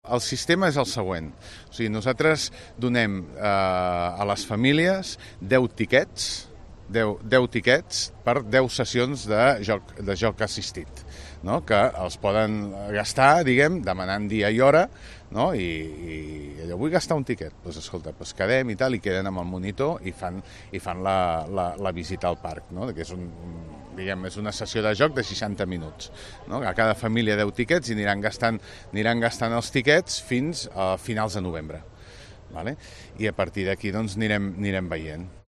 El sistema és el següent. O sigui, nosaltres donem a les famílies 10 tiquets, 10 tiquets per 10 sessions de joc assistit, no? Que els poden gastar, diguem, demanant dia i hora, no? I allò, vull gastar un tiquet, doncs escolta, doncs quedem i tal, i queden amb el monitor i fan la visita al parc, no? Que és és una sessió de joc de 60 minuts, no? A cada família 10 tiquets i aniran gastant els tiquets fins a finals de novembre, vale? I a partir d'aquí doncs anirem veient.